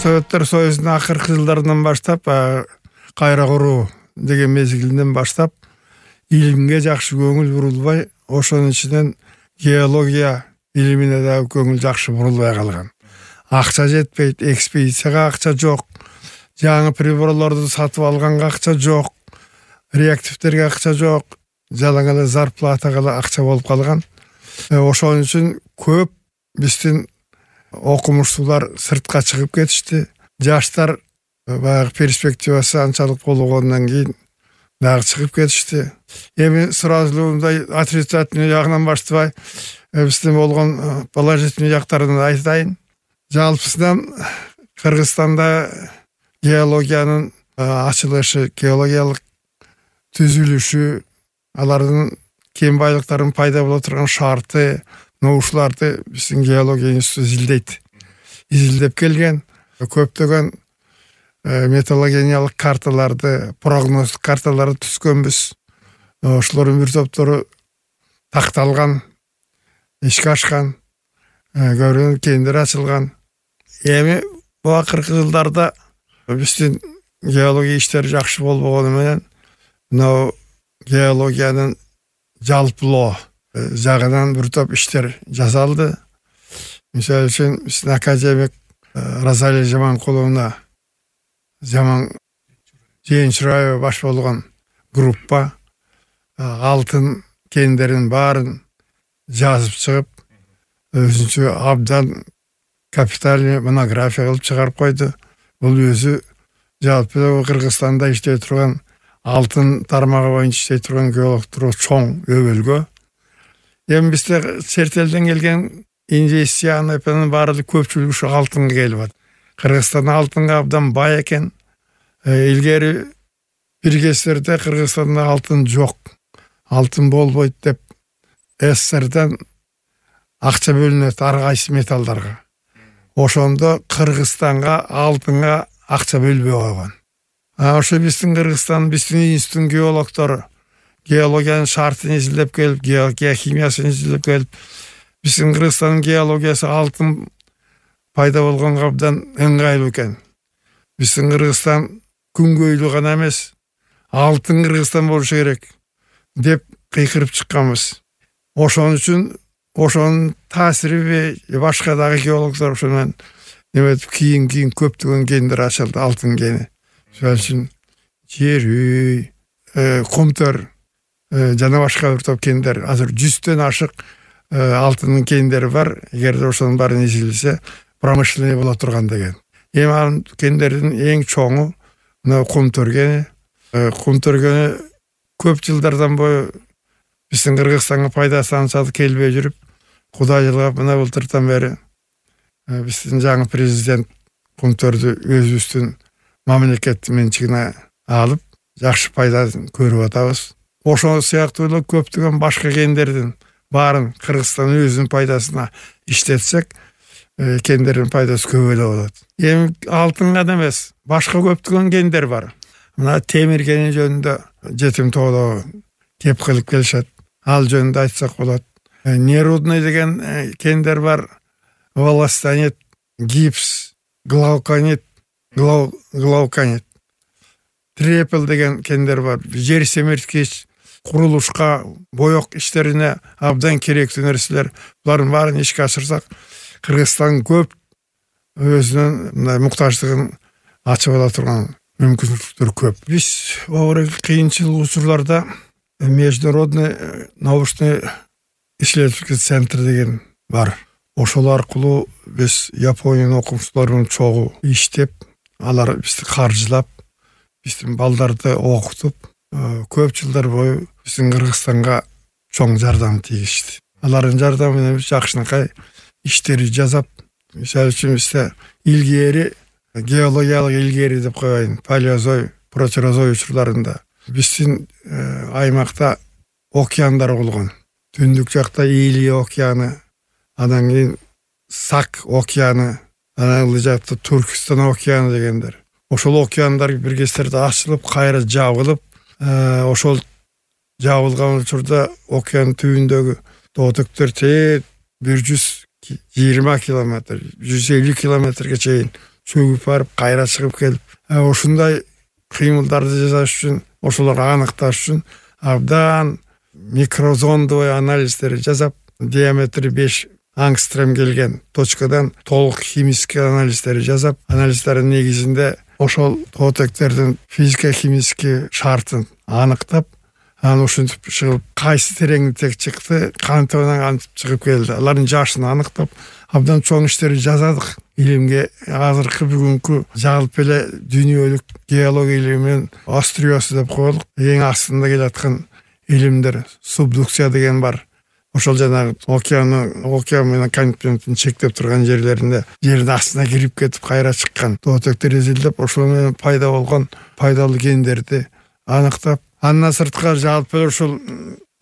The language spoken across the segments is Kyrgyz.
Советтер Союзунун акыркы жылдарынан баштап, кайра куруу деген мезгилинен баштап илимге жакшы көңүл бурулбай, ошонун ичинен геология илимине да көңүл жакшы бурулбай калган. Акча жетпейт, экспедицияга акча жок, жаңы приборлорду сатып алганга акча жок, реактивтерге акча жок, жалаң эле зарплатага акча болуп калган. Ошон үчүн көп биздин окумуштуулар сыртка чыгып кетишти. Жаштар баягы перспективасы анчалык болгондон кийин дагы чыгып кетишти. Эми сразу мындай отрицательный жагынан баштабай, биздин болгон положительный жактарын айтайын. Жалпысынан Кыргызстанда геологиянын ачылышы, геологиялык түзүлүшү, алардын кен байлыктарынын пайда боло турган шарты, ушуларды биздин геология институту изилдеп келген. Көптөгөн металлогениялык карталарды, прогноздук карталарды түзгөнбүз. Ошолордун бир топтору такталган, ишке ашкан, көбүрөөк кендер ачылган. Эми бул акыркы жылдарда биздин геология иштери жакшы болбогону менен, мына геологиянын жалпылоо жагынан бир топ иштер жасалды. Мисалы үчүн биздин академик Розалия Жаманкуловна, Жээнчураева баш болгон группа алтын кендерин баарын жазып чыгып, өзүнчө абдан капитальный монография кылып чыгарып койду. Бул өзү жалпы Кыргызстанда иштей турган алтын тармагы боюнча иштей турган геологдор чоң өбөлгө. Эми бизде чет элден келген инвестициянын баары көпчүлүгү ушу алтынга келип атат. Кыргызстан алтынга абдан бай экен. Илгери бир кездерде Кыргызстанда алтын жок, алтын болбойт деп СССРден акча бөлүнөт ар кайсы металлдарга. Ошондо Кыргызстанга алтынга акча бөлбөй койгон. Ошо биздин Кыргызстан, биздин институттун геологдору геологиянын шартын изилдеп келип, геология химиясын изилдеп келип, биздин Кыргызстандын геологиясы алтын пайда болгонго абдан ыңгайлуу экен. Биздин Кыргызстан күнгөйлүү гана эмес, алтын Кыргызстан болушу керек деп кыйкырып чыкканбыз. Ошон үчүн ошонун таасири башка дагы геологдор ошонун эметип кийин көптөгөн кендер ачылды, алтын кени. Ошон үчүн жер үй, Кумтөр жана башка бир топ кендер, азыр 100төн ашык алтындын кендери бар. Эгерде ошонун баарын изилдесе, промышленный боло турган деген. Эми анын кендердин эң чоңу мына Кумтөр кени. Кумтөр кени көп жылдардан бою биздин Кыргызстанга пайдасы анчалык келбей жүрүп, Кудай жылгап мына былтырдан бери биздин жаңы президент Кумтөрдү өзүбүздүн мамлекеттин менчигине алып, жакшы пайдасын көрүп атабыз. Ошол сыяктуу эле көптөгөн башка кендердин баарын Кыргызстан өзүнүн пайдасына иштетсек, кендердин пайдасы көп эле болот. Эми алтын гана эмес, башка көптөгөн кендер бар. Мына темир кени жөнүндө жетим тоодо кеп кылып келишет. Ал жөнүндө айтсак болот. Нерудный деген кендер бар. Волостанит, гипс, глауконит, трепел деген кендер бар. Жер семирткич, курулушка, боек иштерине абдан керектүү нерселер. Булардын баарын ишке ашырсак, Кыргызстан көп өзүнүн муктаждыгын ачып ала турган мүмкүнчүлүктөр көп. Биз оор кыйынчыл учурларда международный научный исследовательский центр деген бар. Ошол аркылуу биз Япониянын окумуштууларынын чогуу иштеп, алар бизди каржылап, биздин балдарды окутуп, көп жылдар бою биздин Кыргызстанга чоң жардам тийгизди. Алардын жардамы менен биз жакшынакай иштери жасап, мисалы үчүн бизде илгери геологиялык илгери деп коеюн, палеозой, протерозой учурларында биздин аймакта океандар болгон. Түндүк жакта Илия океаны, анан кийин Сак океаны, анан ылдый жакта Түркистан океаны дегендер. Ошол океандар бир кездерде ачылып, кайра жабылып, ошол жабылган учурда океан түбүндөгү тоотөктөр 120 километр, 150 километрге чейин чөгүп барып кайра чыгып келип, ушундай кыймылдарды жасаш үчүн, ошолорду аныкташ үчүн абдан микрозондовый анализдер жасап, диаметри 5 ангстрем келген точкадан толук химический анализдер жасап, анализдердин негизинде ошол тоотектердин физико-химический шартын аныктап, аны ушинтип чыгып, кайсы тереңдик чыкты, кантип чыгып келди. Алардын жашын аныктап, абдан чоң иштерди жасадык. Илимге азыркы бүгүнкү жалпы эле дүйнөлүк геология илиминин остриясы деп коелук. Эң астында келаткан илимдер субдукция деген бар. Ошол жанагы океан менен континенттин чектеп турган жерлеринде жердин астына кирип кетип кайра чыккан тоотектер изилдеп, ошол менен пайда болгон пайдалуу кендерди аныктап, андан сырткары жалпы ушул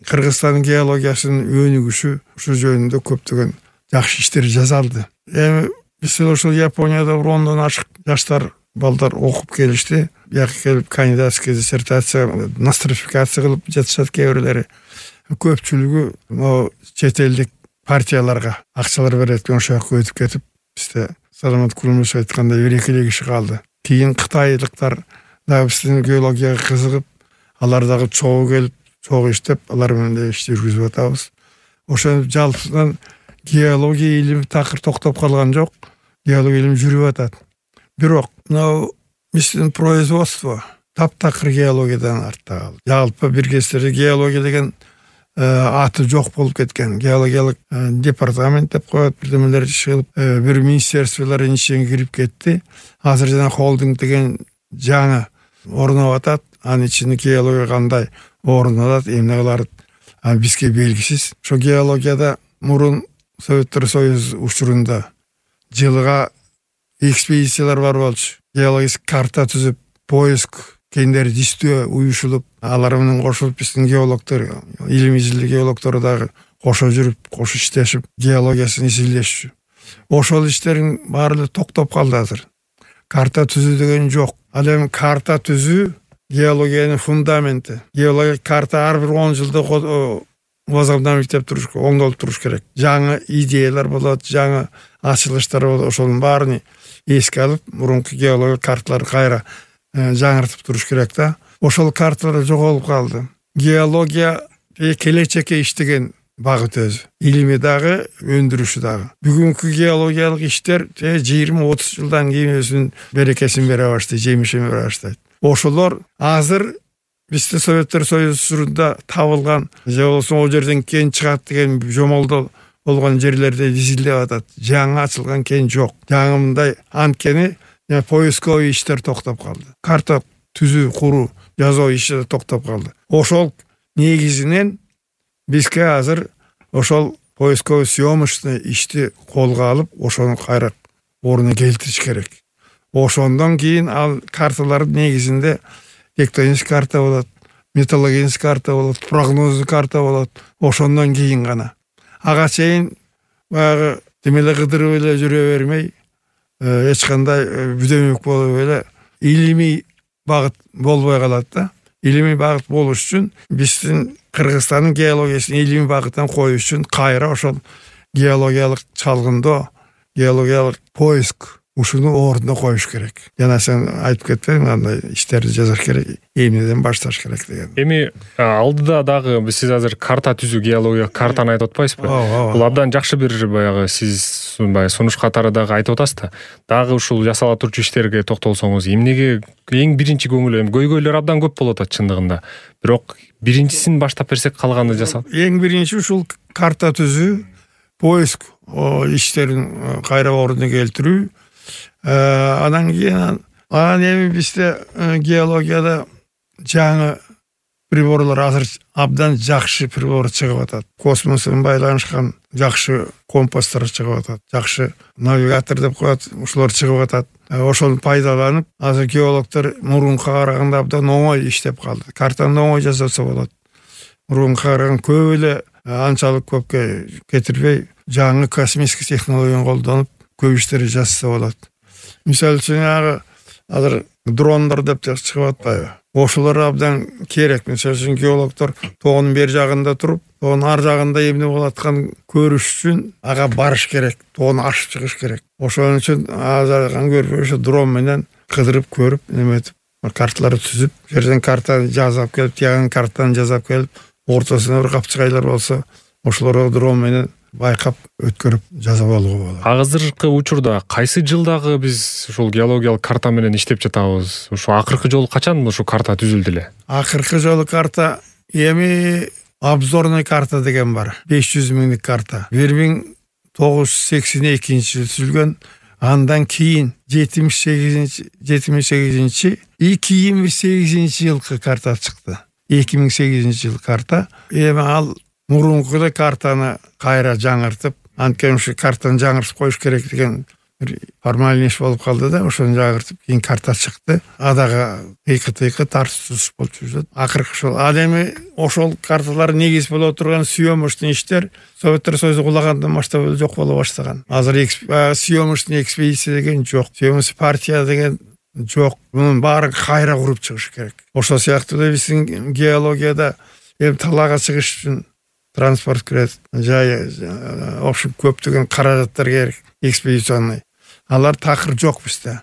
Кыргызстандын геологиясынын өнүгүшү ушул жөнүндө көптөгөн жакшы иштер жасалды. Эми биз ушул Японияда 10дон ашык жаштар балдар окуп келишти. Бияка келип кандидатский диссертация, нострификация кылып жатышат кээ бирлери. Көпчүлүгү могу чет элдик партияларга акчалар берет, ошол жака өтүп кетип, бизде Саламат Кулмушев айткандай 1-2 киши калды. Кийин кытайлыктар да биздин геологияга кызыгып, алар дагы чогуу келип, чогуу иштеп, алар менен да иш жүргүзүп атабыз. Ошо жалпыдан геология илими такыр токтоп калган жок. Геология илими жүрүп атат. Бирок мына биздин производство таптакыр геологиядан артта калды. Жалпы бир кездерде геология деген аты жок болуп кеткен. Геологиялык департамент деп коет, бирдемелер чыгып, бир министерстволордун ичине кирип кетти. Азыр жана холдинг деген жаңы орноп атат. Анын ичинде геология кандай орун алат, эмне кылат, бизге белгисиз. Ошо геологияда мурун Советтер Союзу учурунда жылга экспедициялар бар болчу. Геологический карта түзүп, поиск кендерди издөө уюшулуп, алар менен кошулуп биздин геологдор, илим изилдөө геологдору дагы кошо жүрүп, кошо иштешип, геологиясын изилдешчү. Ошол иштердин баары токтоп калды азыр. Карта түзүү деген жок. Ал эми карта түзүү геологиянын фундаменти. Геология карта ар бир 10 жылда возобновить туруш, оңдолуп туруш керек. Жаңы идеялар болот, жаңы ачылыштар болот, ошонун баарын эске алып, мурунку геология карталарды кайра жаңыртып туруш керек да. Ошол карталар жоголуп калды. Геология келечекке иштеген багыт өзү. Илими дагы, өндүрүшү дагы. Бүгүнкү геологиялык иштер 20-30 жылдан кийин өзүнүн берекесин бере баштайт, жемишин бере баштайт. Ошолор азыр бизде Советтер Союзунда табылган, же болбосо о жерден кен чыгат деген жомолдо болгон жерлерде изилдеп атат. Жаңы ачылган кен жок. Жаңы мындай анткени поисковый иштер токтоп калды. Карта түзүү, куруу, жазуу иши токтоп калды. Ошол негизинен бизге азыр ошол поисковый съемочный ишти колго алып, ошону кайра ордуна келтириш керек. Ошондон кийин ал карталардын негизинде тектоник карта болот, металлогеник карта болот, прогноздук карта болот. Ошондон кийин гана. Ага чейин баягы демеле кыдырып эле жүрө бермей, эч кандай бүдөмөк болуп эле илимий багыт болбой калат да. Илимий багыт болуш үчүн биздин Кыргызстандын геологиясын илимий багыттан коюш үчүн кайра ошол геологиялык чалгындоо, геологиялык поиск ушуну ордуна коюш керек. Жана сен айтып кетпедиң, андай иштерди жасаш керек, эмнеден башташ керек деген. Эми алдыда дагы сиз азыр карта түзүү, геология картаны айтып атпайсызбы? Бул абдан жакшы бир баягы сиз сунуш катары дагы айтып атасыз да. Дагы ушул жасала турчу иштерге токтолсоңуз, эмнеге эң биринчи көңүл, көйгөйлөр абдан көп болуп атат чындыгында. Бирок биринчисин баштап берсек калганды жасап. Эң биринчи ушул карта түзүү, поиск иштерин кайра ордуна келтирүү. Анан кийин эми бизде геологияда жаңы приборлор азыр абдан жакшы прибор чыгып атат. Космос менен байланышкан жакшы компастар чыгып атат. Жакшы навигатор деп коет, ушулар чыгып атат. Ошону пайдаланып, азыр геологдор мурунка караганда абдан оңой иштеп калды. Картаны оңой жасаса болот. Мурунка караганда көп эле анчалык көпкө кетирбей, жаңы космический технологияны колдонуп, көп иштерди жасаса болот. Мисалы үчүн азыр дрондор деп чыгып атпайбы? Ошолор абдан керек. Мисалы үчүн геологдор тоонун бер жагында туруп, Тоонун ар жагында эмне болуп атканын көрүш үчүн ага барыш керек, тоону ашып чыгыш керек. Ошон үчүн азыркан көрүп ошо дрон менен кыдырып көрүп, эметип, карталарды түзүп, жерден картаны жасап келип, тиягынан картаны жасап келип, ортосуна бир капчыгайлар болсо, ошолорду дрон менен байкап өткөрүп жазып алууга болот. Азыркы учурда кайсы жылдагы биз ушул геологиялык карта менен иштеп жатабыз? Ушу акыркы жолу качан ушу карта түзүлдү эле? Акыркы жолу карта эми обзорный карта деген бар. 500 миңдик карта. 1982-жылы түзүлгөн. Андан кийин 78-2008 жылкы карта чыкты. 2008-жылы карта. Эми ал мурункудай картаны кайра жаңыртып, анткени ушу картаны жаңыртып коюш керек деген бир формальный иш болуп калды да, ошону жаңыртып кийин карта чыкты. Адага тыйкы тартып болуп жүрөт. Акыркы ошол. Ал эми ошол карталар негиз боло турган съемочный иштер Советтер Союзу кулагандан баштап жок боло баштаган. Азыр съемочный экспедиция деген жок. Съемочный партия деген жок. Мунун баарын кайра куруп чыгыш керек. Ошол сыяктуу да биздин геологияда эми талаага чыгыш үчүн транспорт кирет, в общем, көптөгөн каражаттар керек, экспедиционный. Алар такыр жок бизде.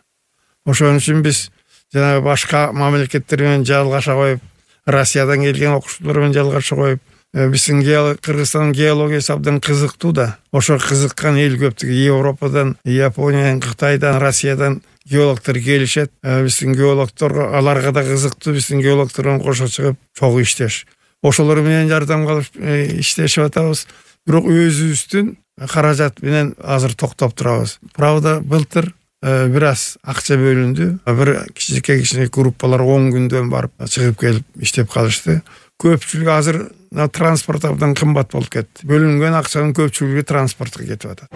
Ошон үчүн биз жанагы башка мамлекеттер менен жалгаша коюп, Россиядан келген окуучулар менен жалгаша коюп, биздин Кыргызстандын геологиясы абдан кызыктуу да. Ошо кызыккан эл көп. Европадан, Япониядан, Кытайдан, Россиядан геологдор келишет. Биздин геологдор аларга да кызыктуу, биздин геологдор менен кошо чыгып чогуу иштеш. Ошолор менен жардамга алып иштешип атабыз. Бирок өзүбүздүн каражат менен азыр токтоп турабыз. Правда, былтыр бир аз акча бөлүндү. Бир кичинекей группалар 10 күндөн барып чыгып келип иштеп калышты. Көпчүлүгү азыр транспорт абдан кымбат болуп кетти. Бөлүнгөн акчанын көпчүлүгү транспортко кетип атат.